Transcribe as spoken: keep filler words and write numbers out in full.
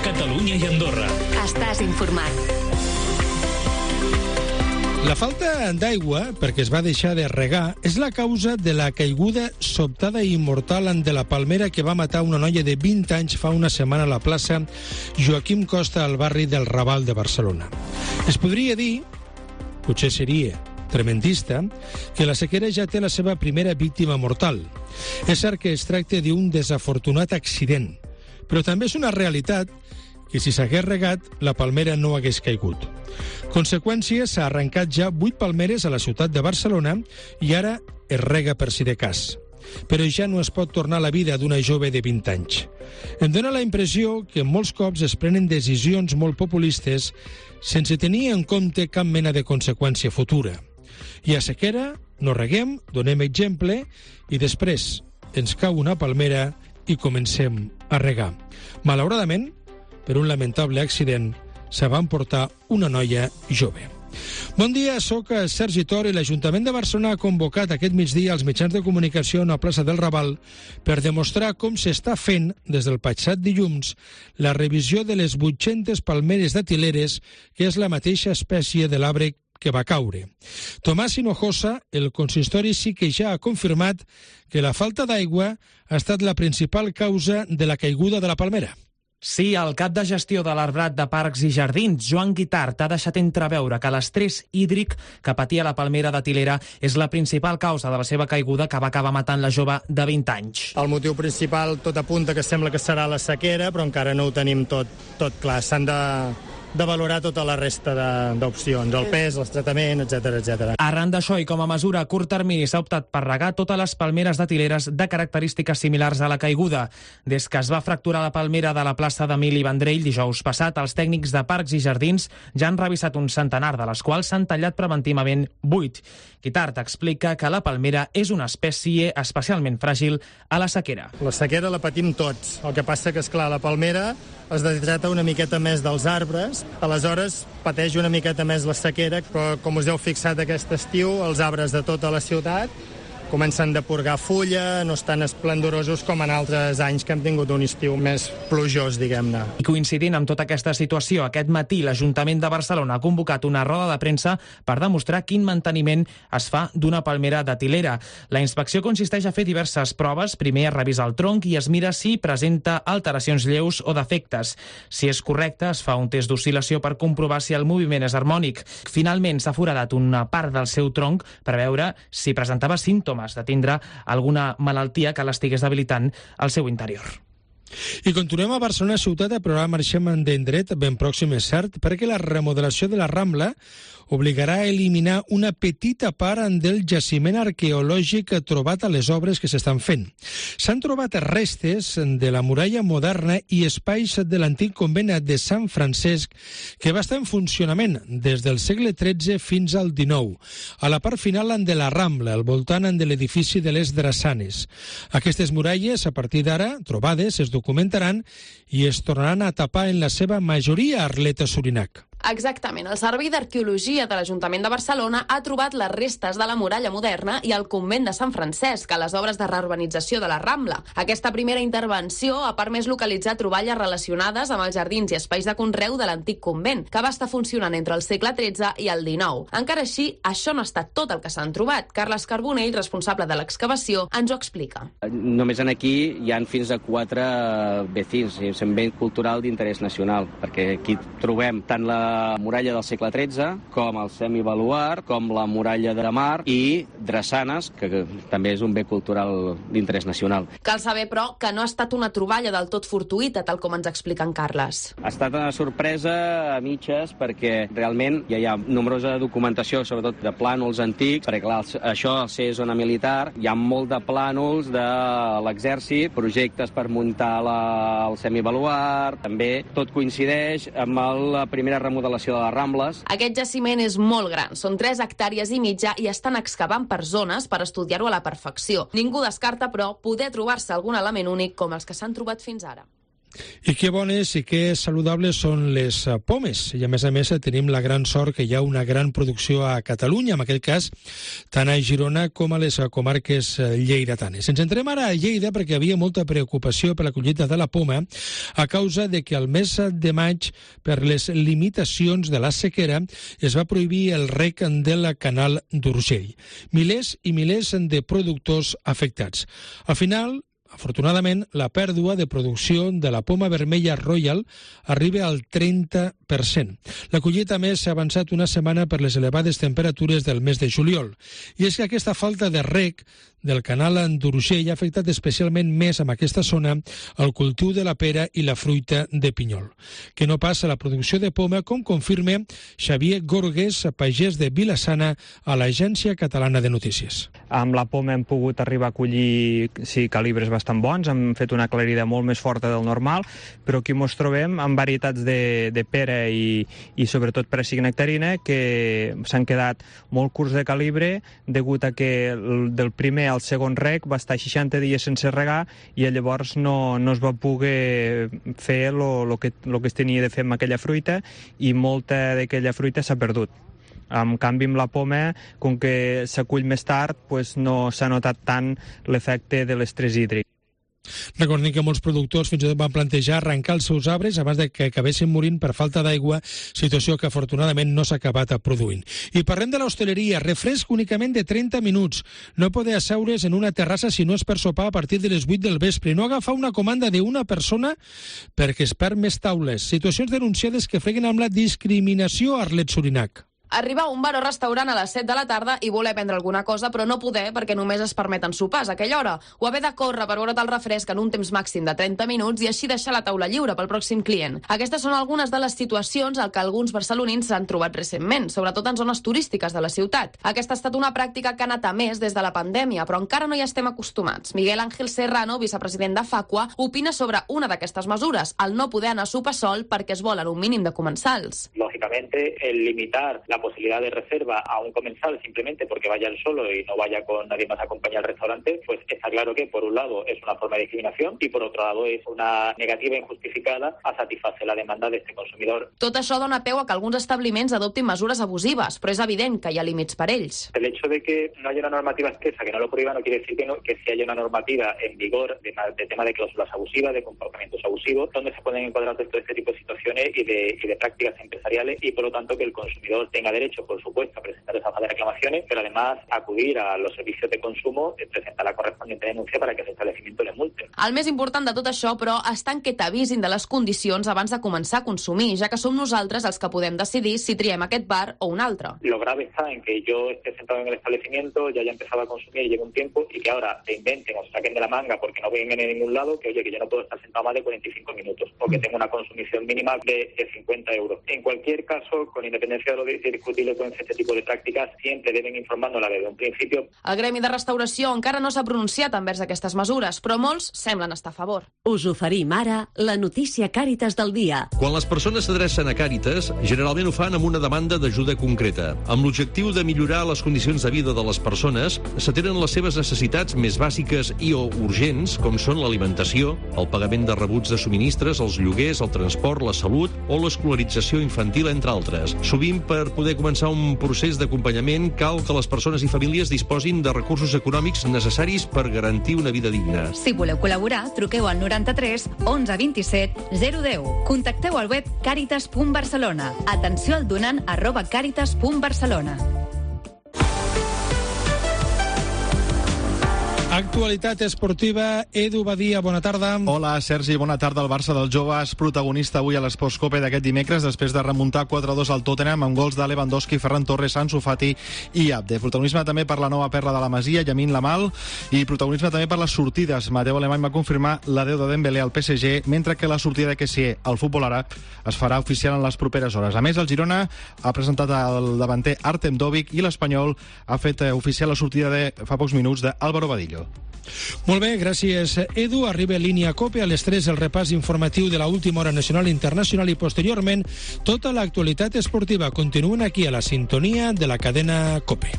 Catalunya i Andorra. Estàs informat. La falta d'aigua, perquè es va deixar de regar, és la causa de la caiguda sobtada i mortal de la palmera que va matar una noia de vint anys fa una setmana a la plaça Joaquim Costa al barri del Raval de Barcelona. Es podria dir, potser seria tremendista, que la sequera ja té la seva primera víctima mortal. És cert que es tracta d'un desafortunat accident, però també és una realitat que si s'hagués regat, la palmera no hagués caigut. Conseqüència, s'ha arrencat ja vuit palmeres a la ciutat de Barcelona i ara es rega per si de cas. Però ja no es pot tornar la vida d'una jove de vint anys. Em dóna la impressió que molts cops es prenen decisions molt populistes sense tenir en compte cap mena de conseqüència futura. Hi ha sequera, no reguem, donem exemple i després ens cau una palmera i comencem a regar. Malauradament, per un lamentable accident, se va emportar una noia jove. Bon dia, sóc Sergi Tor i l'Ajuntament de Barcelona ha convocat aquest migdia als mitjans de comunicació a la plaça del Raval per demostrar com s'està fent, des del passat dilluns, la revisió de les vuit-centes palmeres datileres, que és la mateixa espècie de l'arbre que va caure. Tomàs Hinojosa, el consistori, sí que ja ha confirmat que la falta d'aigua ha estat la principal causa de la caiguda de la palmera. Sí, el cap de gestió de l'Arbrat de Parcs i Jardins, Joan Guitart, ha deixat entreveure que l'estrès hídric que patia la palmera de Tilera és la principal causa de la seva caiguda, que va acabar matant la jove de vint anys. El motiu principal tot apunta que sembla que serà la sequera, però encara no ho tenim tot, tot clar. S'han de... de valorar tota la resta d'opcions, el pes, el tractament, etcètera, etcètera. Arran d'això i com a mesura a curt termini s'ha optat per regar totes les palmeres datileres de característiques similars a la caiguda. Des que es va fracturar la palmera de la plaça d'Emili Vendrell dijous passat, els tècnics de Parcs i Jardins ja han revisat un centenar, de les quals s'han tallat preventivament vuit. Guitart explica que la palmera és una espècie especialment fràgil a la sequera. La sequera la patim tots. El que passa que, esclar, la palmera es deshidrata una miqueta més dels arbres, aleshores pateix una miqueta més la sequera, però com us heu fixat aquest estiu, els arbres de tota la ciutat comencen a purgar fulla, no estan esplendorosos com en altres anys que hem tingut un estiu més plujós, diguem-ne. I coincidint amb tota aquesta situació, aquest matí l'Ajuntament de Barcelona ha convocat una roda de premsa per demostrar quin manteniment es fa d'una palmera datilera. La inspecció consisteix a fer diverses proves. Primer es revisa el tronc i es mira si presenta alteracions lleus o defectes. Si és correcte, es fa un test d'oscil·lació per comprovar si el moviment és harmònic. Finalment s'ha foradat una part del seu tronc per veure si presentava símptomes de tindre alguna malaltia que l'estigués debilitant al seu interior. I continuem a Barcelona ciutat, però ara marxem d'indret ben pròxim, és cert, perquè la remodelació de la Rambla obligarà a eliminar una petita part del jaciment arqueològic trobat a les obres que s'estan fent. S'han trobat restes de la muralla moderna i espais de l'antic convent de Sant Francesc que va estar en funcionament des del segle tretze fins al dinou, a la part final de la Rambla, al voltant de l'edifici de les Drassanes. Aquestes muralles, a partir d'ara, trobades, es documentaran i es tornaran a tapar en la seva majoria a Arleta Sorinac. Exactament. El Servei d'Arqueologia de l'Ajuntament de Barcelona ha trobat les restes de la muralla moderna i el convent de Sant Francesc a les obres de reurbanització de la Rambla. Aquesta primera intervenció ha permès localitzar troballes relacionades amb els jardins i espais de conreu de l'antic convent, que va estar funcionant entre el segle tretze i el dinou. Encara així, això no ha estat tot el que s'han trobat. Carles Carbonell, responsable de l'excavació, ens ho explica. Només en aquí hi han fins a quatre vecins, és un bé cultural d'interès nacional, perquè aquí trobem tant la muralla del segle tretze, com el semibaluart, com la muralla de mar i drassanes, que també és un bé cultural d'interès nacional. Cal saber, però, que no ha estat una troballa del tot fortuïta, tal com ens explica en Carles. Ha estat una sorpresa a mitges, perquè realment ja hi ha nombrosa documentació, sobretot de plànols antics, perquè clar, això, al ser zona militar, hi ha molt de plànols de l'exèrcit, projectes per muntar la, el semibaluart, també tot coincideix amb la primera remodelació de les Rambles. Aquest jaciment és molt gran, són tres hectàrees i mitja i estan excavant per zones per estudiar-ho a la perfecció. Ningú descarta, però, poder trobar-se algun element únic com els que s'han trobat fins ara. I que bones i que saludables són les pomes. I a més a més tenim la gran sort que hi ha una gran producció a Catalunya, en aquest cas tant a Girona com a les comarques lleidatanes. Ens entrem ara a Lleida perquè hi havia molta preocupació per la collita de la poma a causa de que al mes de maig, per les limitacions de la sequera, es va prohibir el rec del canal d'Urgell. Milers i milers de productors afectats. Al final, afortunadament, la pèrdua de producció de la poma vermella Royal arriba al trenta per cent. La collita, més, s'ha avançat una setmana per les elevades temperatures del mes de juliol. I és que aquesta falta de rec del canal d'Urgell ha afectat especialment més amb aquesta zona el cultiu de la pera i la fruita de pinyol. Que no passa la producció de poma, com confirma Xavier Gorgues, pagès de Vilassana, a l'Agència Catalana de Notícies. Amb la poma hem pogut arribar a collir sí, calibres bastant bons, hem fet una clarida molt més forta del normal, però aquí ens trobem amb varietats de, de pera i, i sobretot pera nectarina que s'han quedat molt curts de calibre degut a que del primer al segon rec va estar seixanta dies sense regar i llavors no, no es va poder fer el que, lo que es tenia de fer amb aquella fruita i molta d'aquella fruita s'ha perdut. En canvi, amb la poma, com que s'acull més tard, pues no s'ha notat tant l'efecte de l'estrès hídric. Recordem que molts productors fins i tot van plantejar arrencar els seus arbres abans de que acabessin morint per falta d'aigua, situació que afortunadament no s'ha acabat produint. I parlem de l'hostaleria, refresc únicament de trenta minuts. No poder asseure's en una terrassa si no és per sopar a partir de les vuit del vespre, no agafar una comanda d'una persona perquè es perd més taules. Situacions denunciades que freguen amb la discriminació a Arlet Surinac. Arribar a un bar o restaurant a les set de la tarda i voler prendre alguna cosa, però no poder perquè només es permeten sopars a aquella hora, o haver de córrer per veure't el refresc en un temps màxim de trenta minuts i així deixar la taula lliure pel pròxim client. Aquestes són algunes de les situacions al que alguns barcelonins s'han trobat recentment, sobretot en zones turístiques de la ciutat. Aquesta ha estat una pràctica que ha anat a més des de la pandèmia, però encara no hi estem acostumats. Miguel Ángel Serrano, vicepresident de Facua, opina sobre una d'aquestes mesures, el no poder anar a sopar sol perquè es volen un mínim de comensals. Lógicamente, el limitar la posibilidad de reserva a un comensal simplemente porque vaya él solo y no vaya con nadie más a acompañar al restaurante, pues está claro que por un lado es una forma de discriminación y por otro lado es una negativa injustificada a satisfacer la demanda de este consumidor. Tot això dona peu a que alguns establiments adoptin mesures abusives, però és evident que hi ha límits per ells. El hecho de que no haya una normativa expresa que no lo prohíba no quiere decir que, no, que si haya una normativa en vigor de, de tema de cláusulas abusivas, de comportamientos abusivos, donde se pueden encuadrar todo este tipo de situaciones y de, y de prácticas empresariales y por lo tanto que el consumidor tenga derecho, por supuesto, a presentar esas reclamaciones, pero además acudir a los servicios de consumo y presentar la correspondiente denuncia para que el establecimiento le multe. El més important de tot això, però, està en que t'avisin de les condicions abans de començar a consumir, ja que som nosaltres els que podem decidir si triem aquest bar o un altre. Lo grave está en que yo esté sentado en el establecimiento, ya haya empezado a consumir, llevo un tiempo, y que ahora se inventen o se saquen de la manga porque no vengan en ningún lado, que oye, que yo no puedo estar sentado más de cuarenta y cinco minutos, o que tengo una consumición mínima de, de cincuenta euros. En cualquier caso, con independencia de lo discutible con este tipo de prácticas, siempre deben informándola desde un principio. El Gremi de Restauració encara no s'ha pronunciat envers aquestes mesures, però molts semblen estar a favor. Us oferim ara la notícia Càritas del dia. Quan les persones s'adrecen a Càritas, generalment ho fan amb una demanda d'ajuda concreta. Amb l'objectiu de millorar les condicions de vida de les persones, s'atenen les seves necessitats més bàsiques i o urgents, com són l'alimentació, el pagament de rebuts de subministres, els lloguers, el transport, la salut o l'escolarització infantil, entre altres. Sovint, per poder començar un procés d'acompanyament, cal que les persones i famílies disposin de recursos econòmics necessaris per garantir una vida digna. Si voleu col·laborar, truqueu al noranta-tres onze vint-i-set zero deu. Contacteu al web càritas punt barcelona. Atenció al donant arroba càritas punt barcelona. Actualitat esportiva, Edu Badia, bona tarda. Hola, Sergi, bona tarda. El Barça dels joves, protagonista avui a l'Esports Copa d'aquest dimecres, després de remuntar quatre a dos al Tottenham amb gols de Lewandowski, Ferran Torres, Ansu Fati i Abde. Protagonisme també per la nova perla de la Masia, Yamin Lamal, i protagonisme també per les sortides. Mateu Alemany va confirmar l'adeu de Dembélé al P S G, mentre que la sortida de Kessié al futbol àrab es farà oficial en les properes hores. A més, el Girona ha presentat el davanter Artem Dovik i l'Espanyol ha fet oficial la sortida de fa pocs minuts d'Álvaro Badillo. Molt bé, gràcies, Edu. Arriba Línia COPE a les tres el repàs informatiu de l'última hora nacional i internacional i posteriorment tota l'actualitat esportiva. Continuen aquí a la sintonia de la cadena COPE.